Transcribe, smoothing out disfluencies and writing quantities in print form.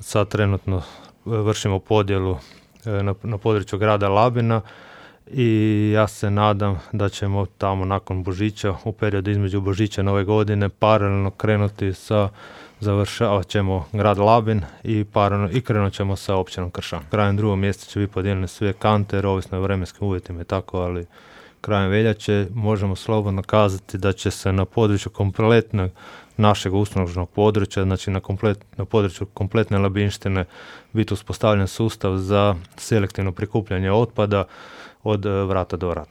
sad trenutno vršimo podjelu na području grada Labina i ja se nadam da ćemo tamo nakon Božića, u periodu između Božića i Nove godine, paralelno krenuti završavat ćemo grad Labin i krenut ćemo sa općinom Kršan. Krajem 2. mjeseca će biti podijeljene sve kante, jer ovisno o vremenskim uvjetima i tako, ali krajem veljače možemo slobodno kazati da će se na području kompletnog našeg uslužnog područja, znači na području kompletne Labinštine, biti uspostavljen sustav za selektivno prikupljanje otpada od vrata do vrata.